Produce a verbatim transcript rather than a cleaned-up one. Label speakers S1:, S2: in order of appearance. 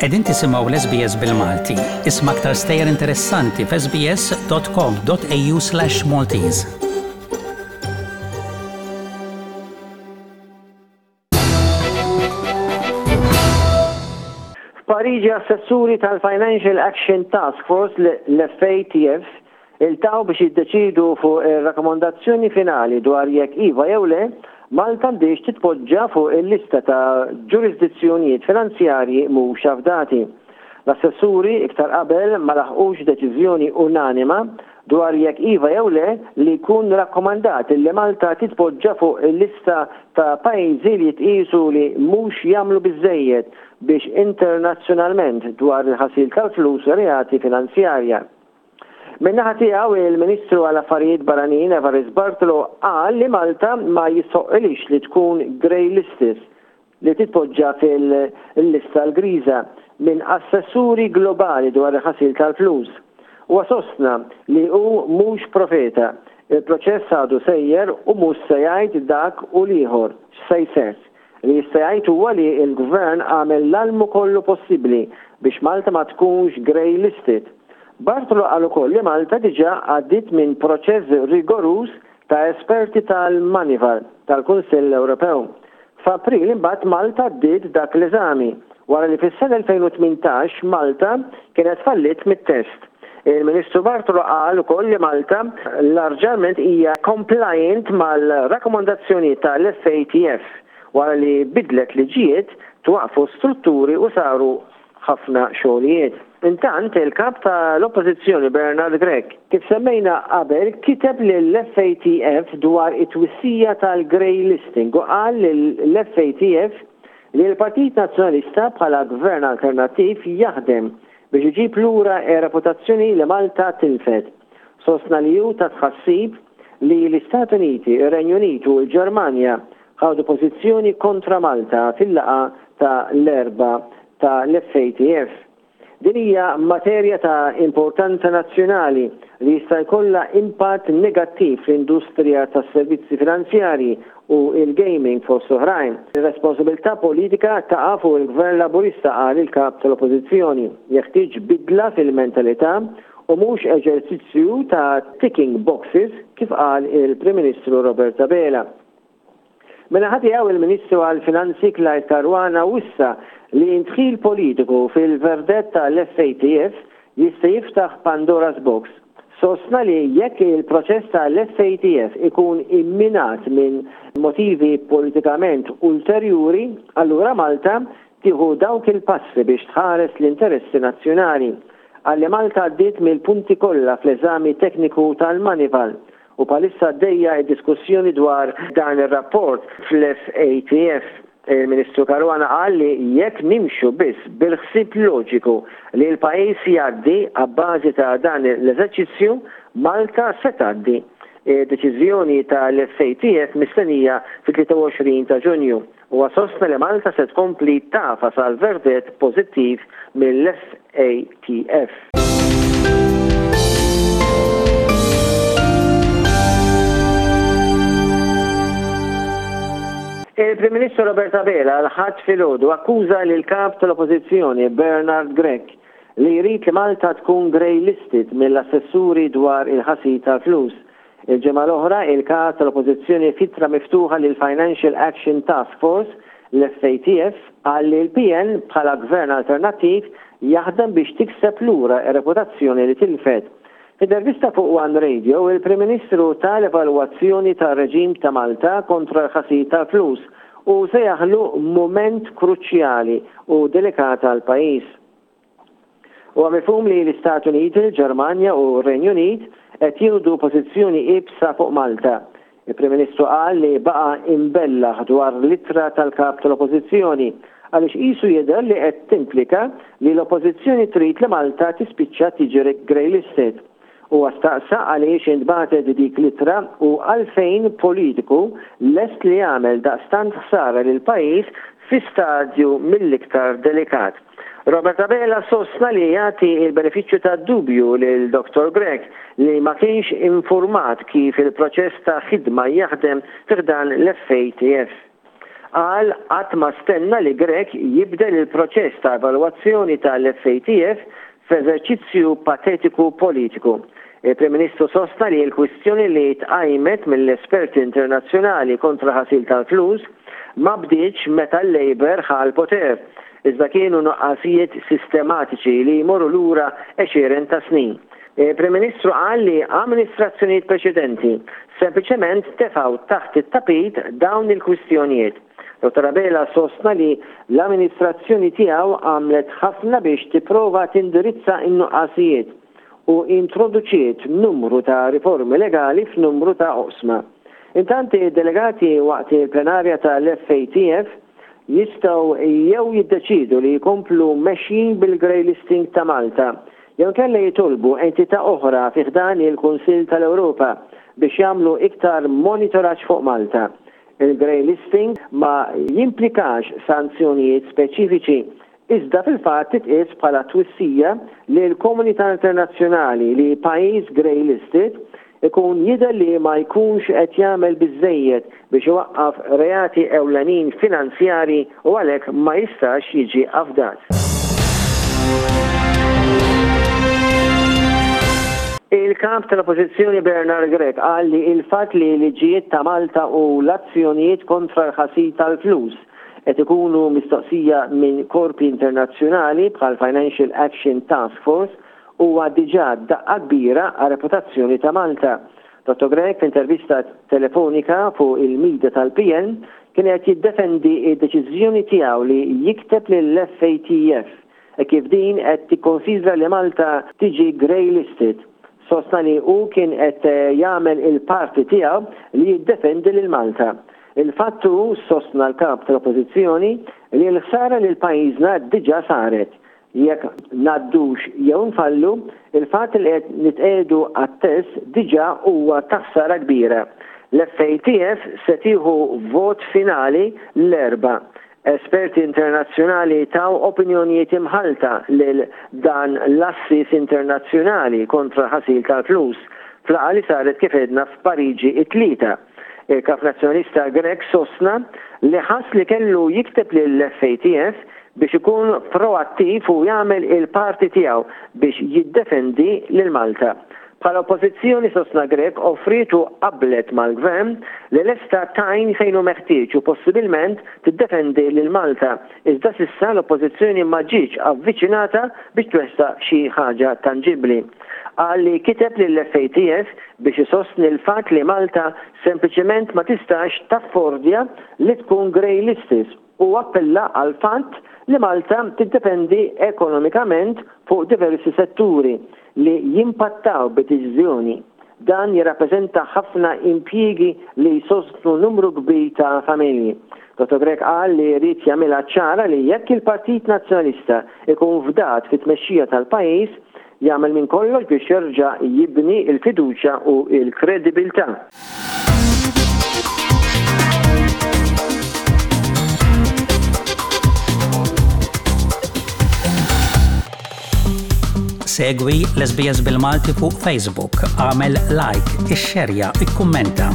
S1: Qegħdin tisimgħu l-S B S bil-Malti. Isma' aktar stejjer interessanti f'S B S dot com dot A U slash Maltese.
S2: F'Pariġi, assessuri tal-Financial Action Task Force, l-F A T F, iltaqgħu biex jiddeċidu fuq ir-rakkomandazzjoni finali dwar jekk iva jew le Malta għandhiex titpoġġa fuq il-lista ta' ġurisdizzjonijiet finanzjarji mhux afdati. L-assessuri iktar qabel ma laħqux deċiżjoni unanima dwar jekk iva jew le li jkun rakkomandat li Malta titpoġġa fuq il-lista ta' pajjiżi li jitqisu li mhux jagħmlu biżejjed biex internazzjonalment dwar il-ħasil tal-flus u reati finanzjarja. Min-naħa tiegħu, il-Ministru għal Affarijiet Barranin Evarist Bartolo qal li Malta ma jistħoqqilhiex li tkun grey listed, li titpoġġa fil-lista l-griża minn assessuri globali dwar il-ħasil tal-flus. U sostna li hu mhux profeta. Il-proċess għadu sejjer u mhux se jgħid dak u l-ieħor x'se jseħħ. Li jista' jgħid huwa li l-gvern għamel l-almu kollu possibbli biex Malta ma tkunx grey listed. Bartolo qal ukoll li Malta diġà għaddiet minn proċess rigoruż ta' esperti tal-Moneyval tal-Kunsill Ewropew. F'April imbagħad Malta għaddiet dak l-eżami wara li fis-sena elfejn u tmintax Malta kienet fallit mit-test. Il-Ministru Bartolo qal ukoll li Malta larġament hija compliant mal-rakkomandazzjoni tal-F A T F wara li bidlet liġijiet, twaqfu strutturi u saru ħafna xogħlijiet. Intant, il-kap tal-Oppożizzjoni Bernard Grech, kif semmejna qabel, kiteb lill-F A T F dwar it-twissija tal-grey listing u qal lill-F A T F li l-Partit Nazzjonalista bħala gvern alternattiv jaħdem biex iġib lura reputazzjoni li Malta tilfet. Sostna li hu ta' tħassib li l-Istati Uniti, ir-Renju Unitu u l-Ġermanja ħadu pożizzjoni kontra Malta fil-laqgħa ta' l-Erbgħa ta' l-F A T F. Din hija materja ta' importanza nazzjonali li jista' jkollha impatt negattiv fl-industrija tas-servizzi finanzjarji u il-gaming, fost oħrajn. Ir-responsabilità politika taqa' fuq il-Gvern Laburista, qal il-kap tal-Oppożizzjoni. Jeħtieġ bidla fil-mentalità u mhux eżerċizzju ta' ticking boxes, kif qal il-Prim Ministru Robert Abela. Min-naħa tiegħu, il-Ministru għal-Finanzi Clyde Caruana wissa li indħil politiku fil-verdett tal-F A T F jista' jiftaħ Pandora's Box. Sostna li jekk il-proċess tal-F A T F ikun imminat minn motivi politikament ulterjuri, allura Malta tieħu dawk il-passi biex tħares l-interessi nazzjonali. Qal li Malta għaddiet mill-punti kollha fl-eżami tekniku tal-Moneyval u bħalissa għaddejja diskussjoni dwar dan ir-rapport fl-F A T F. Il-Ministru Caruana qal li jekk nimxu biss bil-ħsieb loġiku li l-pajjiż jgħaddi abbażi ta' dan l-eżerċizzju, Malta se tgħaddi. Deċiżjoni tal-F A T F mistennija fit-tlieta u għoxrin ta' Ġunju u sostna li Malta se tkompli tagħfas għal verdett pożittiv mill-F A T F. Il-Prim Ministru Robert Abela l-Ħadd filgħodu akkuża lil kap tal-Oppożizzjoni Bernard Grech li jrid li Malta tkun grey listed mill-assessuri dwar il-ħasil tal-flus. Il-ġimgħa l-oħra, il-kap tal-Oppożizzjoni, f'ittra miftuħa lil Financial Action Task Force, l-F A T F, qal li l-P N bħala gvern alternattiv jaħdem biex tikseb lura reputazzjoni li tilfet. F'intervista fuq One Radio, il-Prim Ministru ta l-evalwazzjoni ta' reġim ta' Malta kontra l-ħasil tal-flus u sejjaħlu moment kruċjali u delikat għal pajjiż. U mifhum li l-Istati Uniti, il-Ġermanja u r-Renju Unit qed jieħdu pożizzjoni iebsa fuq Malta. Il-Prim Ministru qal li baqa' imbellaħ dwar l-ittra tal-kap tal-Oppożizzjoni għaliex qisu jidher li qed timplika li l-Oppożizzjoni trid li Malta tispiċċa tiġi grey listed. U staqsa għaliex intbagħtet dik l-ittra u għalfejn politiku lest li jagħmel daqstant ħsara lil pajjiż fi stadju mill-iktar delikat. Robert Abela sostna li jagħti il-benefiċċju ta' dubju lil Doktor Grech li ma kienx informat kif il-proċess ta' ħidma jaħdem fi ħdan l-F A T F. Qal qatt ma stenna li Grech jibdel il-proċess ta' evalwazzjoni tal-F A T F f'eżerċizzju patetiku politiku. Il-Prim Ministru sostna li l-kwistjoni li tqajmet mill-esperti internazzjonali kontra ħasil tal-flus ma bdietx meta l-Labour ħa l-poter, iżda kienu nuqqasijiet sistematiċi li jmorru lura għexieren ta' snin. Il-Prim Ministru qal li amministrazzjonijiet preċedenti sempliċement tefgħu taħt it-tapit dawn il-kwistjonijiet. Dottor Abela sostna li l-amministrazzjoni tiegħu għamlet ħafna biex tipprova tindirizza in-nuqqasijiet u introduċiet numru ta' riformi legali f'numru ta' oqsma. Intanti delegati waqt il-plenarja tal-F A T F jistgħu jew jiddeċidu li jkomplu mexjin bil-grey listing ta' Malta, jew inkella jitolbu entità oħra fi ħdan il-Kunsill tal-Ewropa biex jagħmlu iktar monitoraġġ fuq Malta. Il-grey listing ma jimplikax sanzjonijiet speċifiċi, iżda fil-fatt titqies bħala twissija li l-komunità internazzjonali li pajjiż grey listed ikun jidher li ma jkunx qed jagħmel biżejjed biex iwaqqaf reati ewlenin finanzjari u għalhekk ma jistax jiġi afdat. Il-kap tal-Oppożizzjoni Bernard Grech qal li il-fatt li liġijiet ta' Malta u l-azzjonijiet kontra l-ħasil tal-flus qed ikunu mistoqsija minn korpi internazzjonali bħal Financial Action Task Force huwa diġà daqqa kbira għar reputazzjoni ta' Malta. Dottor Grech, f'intervista telefonika fuq il-media tal-P N, kien qed jiddefendi id-deċiżjoni tiegħu li jikteb lill-F A T F e kif din qed tikkonsidra li Malta tiġi grey listed. Sostna li hu kien qed jagħmel il-parti tiegħu li jiddefendi lil Malta. Il-fattu, sostna l-kap tal-Oppożizzjoni, li l-ħsara lil pajjiżna diġà saret. Jekk ngħaddux jew nfallu, il-fatt li qed nitqiegħdu għat-test diġà huwa ta' ħsara kbira. L-F A T F se tieħu vot finali l-Erbgħa. Esperti internazzjonali taw opinjonijiet imħalta lil dan l-għassies internazzjonali kontra ħasil tal-flus f'laqgħa li saret, kif għedna, f'Pariġi it-Tlieta. Il-kap nazzjonalista Grech sostna li ħass li kellu jikteb lill-F A T F biex ikun proattiv u jagħmel il-parti tiegħu biex jiddefendi lil Malta. Bħala oppożizzjoni, sostna Grech, offriet u qablet mal-gvern li lesta tgħin fejn hu meħtieġ u possibilment tiddefendi lil Malta. Iżda s'issa l-oppożizzjoni ma ġietx avviċinata biex twettaq xi ħaġa tanġibli. Qal li kiteb lill-F A T F biex isostni l-fatt li Malta sempliċement ma tistax taffordja li tkun grey listed u appella għal fatt li Malta tiddependi ekonomikament fuq diversi setturi li jimpattaw b'deċiżjoni. Dan jirrappreżenta ħafna impjiegi li jsostnu numru kbir ta' familji. Dottor Grech qal li jrid jagħmilha ċara li jekk il-Partit Nazzjonalista ikun fdat fit-tmexxija tal-pajjiż, jagħmel minn kollox biex jerġa' jibni il-fiduċja u il-kredibilità.
S1: Segwi l-S B S bil-Malti fuq Facebook, agħmel like, ixxerja, ikkummenta.